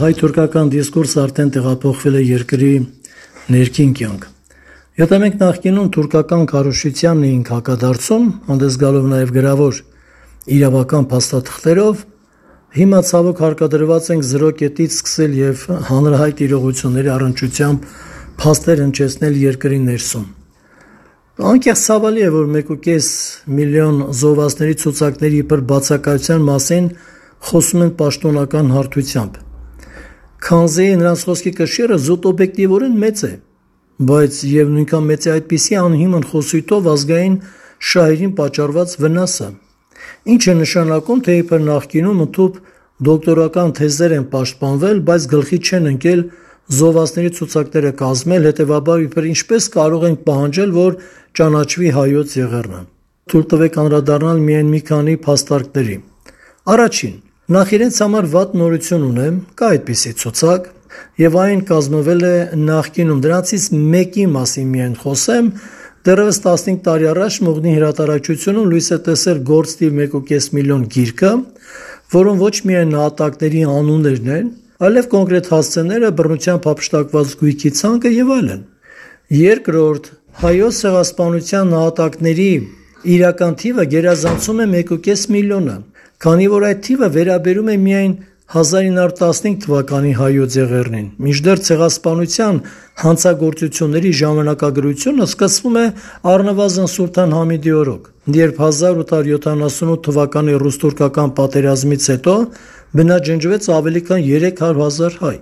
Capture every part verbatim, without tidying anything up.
հայ-թուրքական դիսկուրսը արդեն տեղափոխվել է երկրի ներքին կյանք։ Եթե մենք նախկինում թուրքական քարոզչությանն էինք հակադարձում, հանդես գալով նաև գրավոր իրավական փաստաթղթերով, հիմա ցավոք հարկադրված ենք զրո կետից սկսել եւ հանրահայտ իրողությունների առնչությամբ փաստեր հնչեցնել երկրի ներսում։ Անկեղծ ցավալի է, որ մեկ ու կես միլիոն զոհվածների ցուցակների իբր բացակայության մասին խոսում են պաշտոնական հարթությամբ։ Քանզի նրանց խոսքի կշիռը զուտ օբյեկտիվորեն մեծ է, բայց եւ նույնքան մեծ է այդպիսի անհիմն խոսույթով ազգային շահերին պատճառված վնասը, ինչը նշանակում, թե իբր նախկինում ընդհանուր դոկտորական թեզեր են պաշտպանվել, բայց գլխի չեն ընկել զոհվածների ցուցակները կազմել, հետեւաբար իբր ինչպես կարող ենք պահանջել, որ ճանաչվի հայոց եղեռնը։ Թույլ տվեք անդրադառնալ միայն մի քանի փաստարկների։ Առաջին, նախ իրենց համար վատ նորություն ունեմ, կա այդպիսի ցուցակ, եւ այն կազմվել է նախկինում, դրանցից մեկի մասին միայն խոսեմ, դեռևս տասնհինգ տարի առաջ Մողնի հրատարակչությունում լույս է տեսել գործ թիվ մեկ ու կես միլիոն գիրքը, որում ոչ միայն նահատակների անուններն են, այլև կոնկրետ հասցեները, բռնությամբ հափշտակված գույքի ցանկը եւ այլն։ Երկրորդ, հայոց ցեղասպանության նահատակների իրական թիվը գերազանցում է մեկ ու կես միլիոնը, քանի որ այդ թիվը վերաբերում է միայն հազար ինը հարյուր տասնհինգ թվականի հայոց եղեռնին, մինչդեռ ցեղասպանության հանցագործությունների ժամանակագրությունը սկսվում է առնվազն Սուլթան Համիդի օրոք, երբ հազար ութ հարյուր յոթանասունութ թվականի ռուս-թուրքական պատերազմից հետո բնաջնջվեց ավելի քան երեք հարյուր հազար հայ։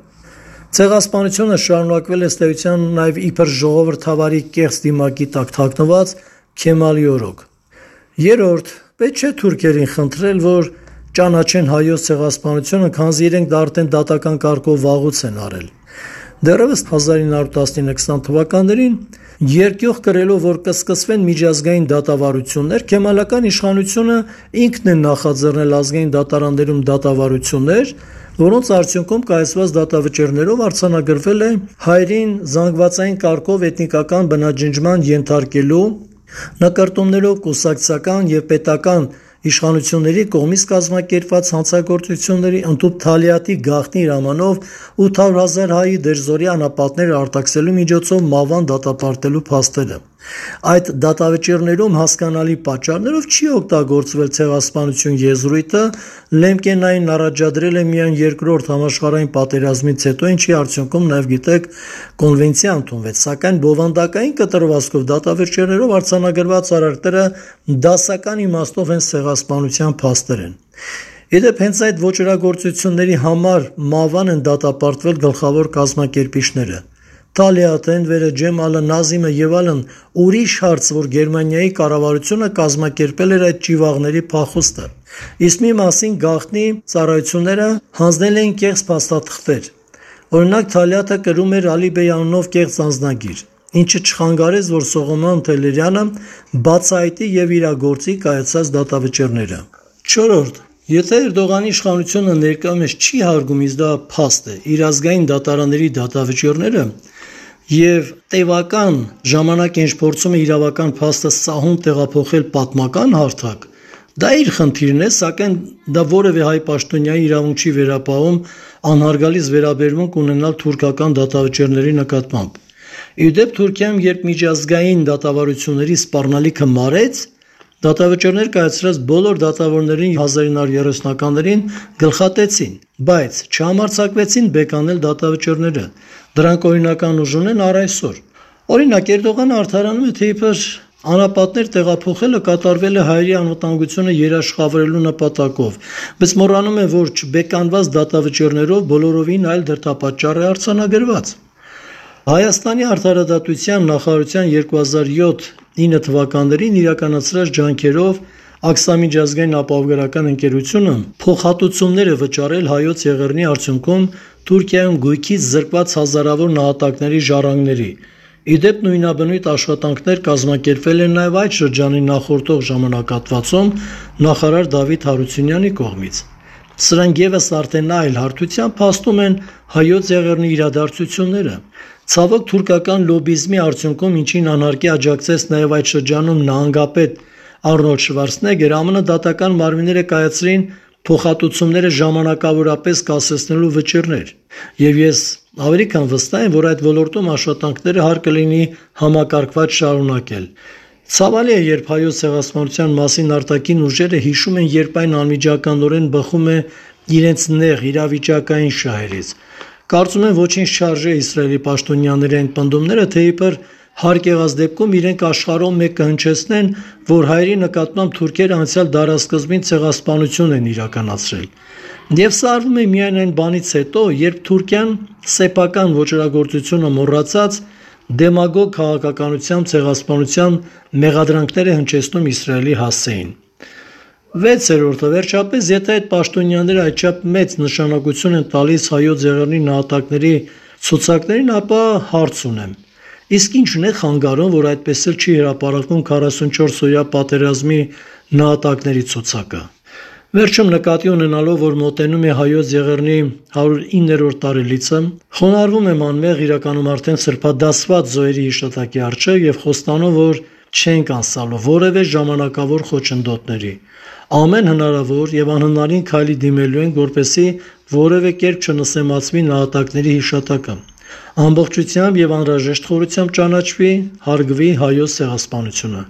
Ցեղասպանությունը շարունակվել է ըստ էության նաև իբր ժողովրդավարի կեղծ դիմակի տակ թաքնված Քեմալի օրոք։ Երրորդ, պետք չէ թուրքերին խնդրել, որ ճանաչեն հայոց ցեղասպանությունը, քանզի իրենք դա արդեն դատական կարգով վաղուց են արել։ Դեռևս հազար ինը հարյուր տասնինը քսան թվականներին երկյուղ կրելով, որ կսկսվեն միջազգային դատավարություններ, քեմալական իշխանությունը ինքն է նախաձեռնել ազգային դատարաններում դատավարություններ, որոնց արդյունքում կայացված դատավճիռներով արձանագրվել է հայերին զանգվածային կարգով էթնիկական բնաջնջման ենթարկելու, նկարտումներով կուսակցական եւ պետական իշխանությունների կողմից կազմակերպված հանցագործությունների ընդհանուր թալիատի գաղտնի հրամանով ութ հարյուր հազար հայի դերձորի անապատները արտաքսելու միջոցով մահվան դատապարտելու փաստերը։ Այդ դատավճիռներում հասկանալի պատճառներով չի օգտագործվել ցեղասպանություն եզրույթը, Լեմկենային առաջադրել է միայն երկրորդ համաշխարհային պատերազմից հետո, ինչի արդյունքում նաև գիտեք կոնվենցիա ընդունվեց, սակայն բովանդակային կտրվածքով դատավճիռներով արձանագրված արարքները դասական իմաստով հենց ցեղասպանության փաստեր են։ Իդեպ հենց այդ ոճրագործությունների համար մահվան են դատապարտվել գլխավոր կազմակերպիչները։ Թալիատ, Էնվերը, Ջեմալը, Նազիմը եւ այլն, ուրիշ հարց, որ Գերմանիայի կառավարությունը կազմակերպել էր այդ ճիվաղների փախուստը։ Իսկ մի մասին գաղտնի ծառայությունները հանձնել էին կեղծ փաստաթղթեր։ Օրինակ Թալիատը կրում էր Ալիբեյ անունով կեղծ անձնագիր, ինչը չխանգարեց, որ Սողոմոն Թելերյանը բացահայտի եւ իրագործի կայացած դատավճիռները։ Չորրորդ, եթե Էրդողանի իշխանությունը ներկայումս չի հարգում, իսկ դա փաստ է, իր ազգային դատարանների դատավճիռները եւ տևական ժամանակ ինչ փորձում է իրավական փաստը սահուն տեղափոխել պատմական հարթակ, դա իր խնդիրն է, սակայն դա որևէ հայ պաշտոնյայի իրավունք չի վերապահում անհարգալից վերաբերմունք ունենալ թուրքական դատավճիռների նկատմամբ։ Իդեպ Թուրքիայում, երբ միջազգային դատավարությունների սպառնալիքը մարեց, դատավճիռներ կայացրած բոլոր դատավորներին հազար ինը հարյուր երեսունականներին գլխատեցին, բայց չհամարձակվեցին բեկանել դատավճիռները։ Դրանք օրինական ուժ ունեն առ այսօր։ Օրինակ Էրդողանը արդարանում է, թե իբր անապատներ տեղափոխելը կատարվել է հայերի անվտանգությունը երաշխավորելու նպատակով, բայց մոռանում է, որ չբեկանված դատավճիռներով բոլորովին այլ դրդապատճառ է արձանագրված։ Հայաստանի արդարադատության նախարարության երկու հազար յոթ ինը թվականներին իրականացրած ջանքերով Աքսամիջազգային ապահովագրական ընկերությունը փոխհատուցումներ է վճարել հայոց եղեռնի արդյունքում Թուրքիայում գույքից զրկված հազարավոր նահատակների ժառանգների։ Իդեպ նույնաբնույթ աշխատանքներ կազմակերպվել են նաև այդ շրջանի նախորդող ժամանակահատվածում նախարար Դավիթ Հարությունյանի կողմից։ Սրանք եւս արդեն այլ հարթությամբ փաստում են հայոց եղեռնի իրադարձությունները։ Ցավոք թուրքական լոբիզմի արդյունքում, ինչին անհարկի աջակցեց նաև այդ շրջանում նահանգապետ Արնոլդ Շվարցնեգերը, ԱՄՆ դատական մարմինները կայացրին փոխհատուցումները ժամանակավորապես կասեցնելու վճիռներ, եւ ես ավելի քան վստահ եմ, որ այդ ոլորտում աշխատանքները հարկ կլինի համակարգված շարունակել։ Ցավալի է, երբ հայոց ցեղասպանության մասին արտաքին ուժերը հիշում են, երբ այն անմիջականորեն բխում է իրենց նեղ իրավիճակային շահերից։ Կարծում եմ ոչինչ չարժե Իսրայելի պաշտոնյաների այն պնդումները, թե իբր հարկ եղած դեպքում իրենք աշխարհում մեկ կհնչեցնեն, որ հայերի նկատմամբ թուրքերը անցյալ դարասկզբին ցեղասպանություն են իրականացրել։ Եվ սա արվում է միայն այն բանից հետո, երբ Թուրքիան սեփական ոճրագործությունը մոռացած դեմագոգ քաղաքականությամբ ցեղասպանության մեղադրանքներ է հնչեցնում Իսրայելի հասցեին։ Վեցերորդը վերջապես, եթե այդ պաշտոնյաները այդչափ մեծ նշանակություն են տալիս հայոց եղեռնի նահատակների ցուցակներին, ապա հարց ունեմ. իսկ ի՞նչն է խանգարում, որ այդպես էլ չի հրապարակվում քառասունչորս օրյա պատերազմի նահատակների ցուցակը։ Վերջում նկատի ունենալով, որ մոտենում է հայոց եղեռնի հարյուր իններորդ տարելիցը, խոնարհվում եմ անմեղ իրականում արդեն սրբադասված զոհերի հիշատակի առջև եւ խոստանում, որ չենք անցալու որևէ ժամանակավոր խոչընդոտների։ Ամեն հնարավոր եւ անհնարին քայլի դիմելու ենք, որպեսզի որևէ կերպ չնսեմացվի նահատակների հիշատակը, ամբողջությամբ եւ անհրաժեշտ խորությամբ ճանաչվի, հարգվի հայոց ցեղասպանությունը։